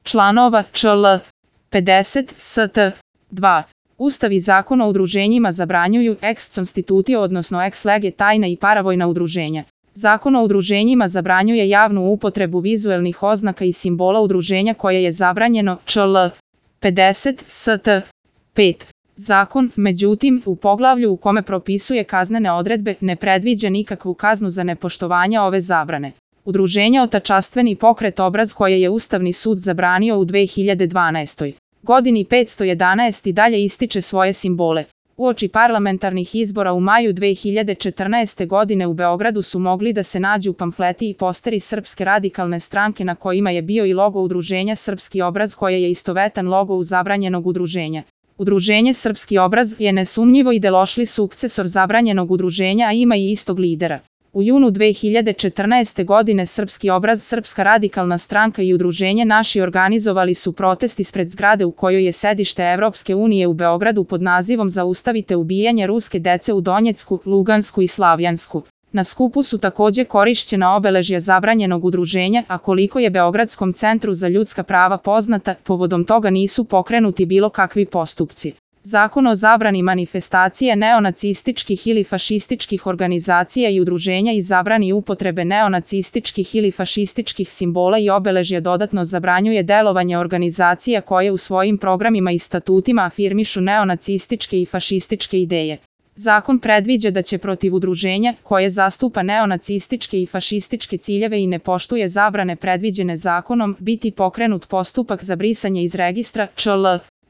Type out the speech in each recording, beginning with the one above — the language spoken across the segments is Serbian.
članova čl. 50 st. 2. Ustav i Zakon o udruženjima zabranjuju ex constitutio odnosno ex lege tajna i paravojna udruženja. Zakon o udruženjima zabranjuje javnu upotrebu vizuelnih oznaka i simbola udruženja koje je zabranjeno čl. 50 st. 5. Zakon, međutim, u poglavlju u kome propisuje kaznene odredbe ne predviđa nikakvu kaznu za nepoštovanje ove zabrane. Udruženje Otačastveni pokret Obraz koje je Ustavni sud zabranio u 2012. godini 511 i dalje ističe svoje simbole. Uoči parlamentarnih izbora u maju 2014. godine u Beogradu su mogli da se nađu pamfleti i posteri Srpske radikalne stranke na kojima je bio i logo udruženja Srpski obraz koje je istovetan logo zabranjenog udruženja. Udruženje Srpski obraz je nesumnjivo ideološki sukcesor zabranjenog udruženja, a ima i istog lidera. U junu 2014. godine Srpski obraz, Srpska radikalna stranka i udruženje Naši organizovali su protest ispred zgrade u kojoj je sedište Evropske unije u Beogradu pod nazivom Zaustavite ubijanje ruske dece u Donjecku, Lugansku i Slavjansku. Na skupu su takođe korišćena obeležja zabranjenog udruženja, a koliko je Beogradskom centru za ljudska prava poznata, povodom toga nisu pokrenuti bilo kakvi postupci. Zakon o zabrani manifestacije neonacističkih ili fašističkih organizacija i udruženja i zabrani upotrebe neonacističkih ili fašističkih simbola i obeležja dodatno zabranjuje delovanje organizacija koje u svojim programima i statutima afirmišu neonacističke i fašističke ideje. Zakon predviđa da će protiv udruženja koje zastupa neonacističke i fašističke ciljeve i ne poštuje zabrane predviđene zakonom biti pokrenut postupak za brisanje iz registra čl.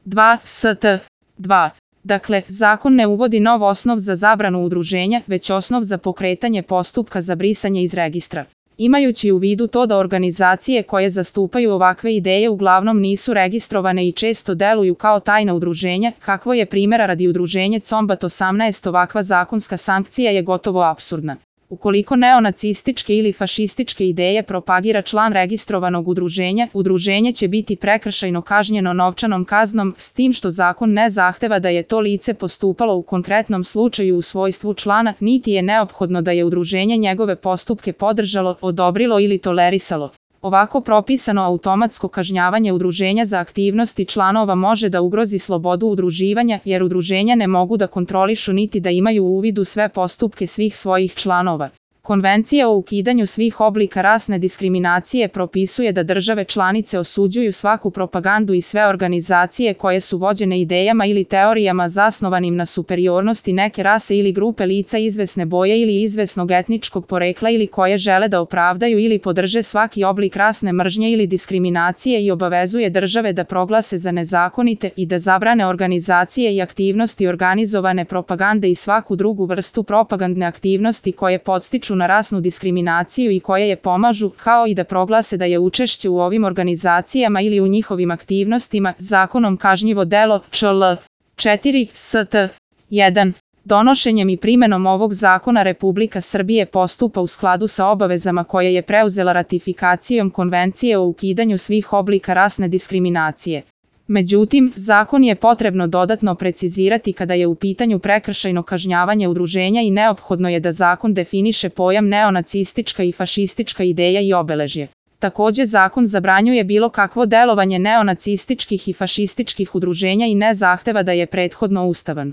2 st. 2. Dakle, zakon ne uvodi nov osnov za zabranu udruženja, već osnov za pokretanje postupka za brisanje iz registra. Imajući u vidu to da organizacije koje zastupaju ovakve ideje uglavnom nisu registrovane i često deluju kao tajna udruženja, kakvo je primjera radi udruženje Combat 18, ovakva zakonska sankcija je gotovo apsurdna. Ukoliko neonacističke ili fašističke ideje propagira član registrovanog udruženja, udruženje će biti prekršajno kažnjeno novčanom kaznom, s tim što zakon ne zahteva da je to lice postupalo u konkretnom slučaju u svojstvu člana, niti je neophodno da je udruženje njegove postupke podržalo, odobrilo ili tolerisalo. Ovako propisano automatsko kažnjavanje udruženja za aktivnosti članova može da ugrozi slobodu udruživanja, jer udruženja ne mogu da kontrolišu niti da imaju uvid u sve postupke svih svojih članova. Konvencija o ukidanju svih oblika rasne diskriminacije propisuje da države članice osuđuju svaku propagandu i sve organizacije koje su vođene idejama ili teorijama zasnovanim na superiornosti neke rase ili grupe lica izvesne boje ili izvesnog etničkog porekla ili koje žele da opravdaju ili podrže svaki oblik rasne mržnje ili diskriminacije i obavezuje države da proglase za nezakonite i da zabrane organizacije i aktivnosti organizovane propagande i svaku drugu vrstu propagandne aktivnosti koje podstiču na rasnu diskriminaciju i koje je pomažu, kao i da proglase da je učešće u ovim organizacijama ili u njihovim aktivnostima zakonom kažnjivo delo čl. 4 st. 1. Donošenjem i primenom ovog zakona Republika Srbije postupa u skladu sa obavezama koje je preuzela ratifikacijom Konvencije o ukidanju svih oblika rasne diskriminacije. Međutim, zakon je potrebno dodatno precizirati kada je u pitanju prekršajno kažnjavanje udruženja i neophodno je da zakon definiše pojam neonacistička i fašistička ideja i obeležje. Takođe, zakon zabranjuje bilo kakvo delovanje neonacističkih i fašističkih udruženja i ne zahteva da je prethodno ustavan.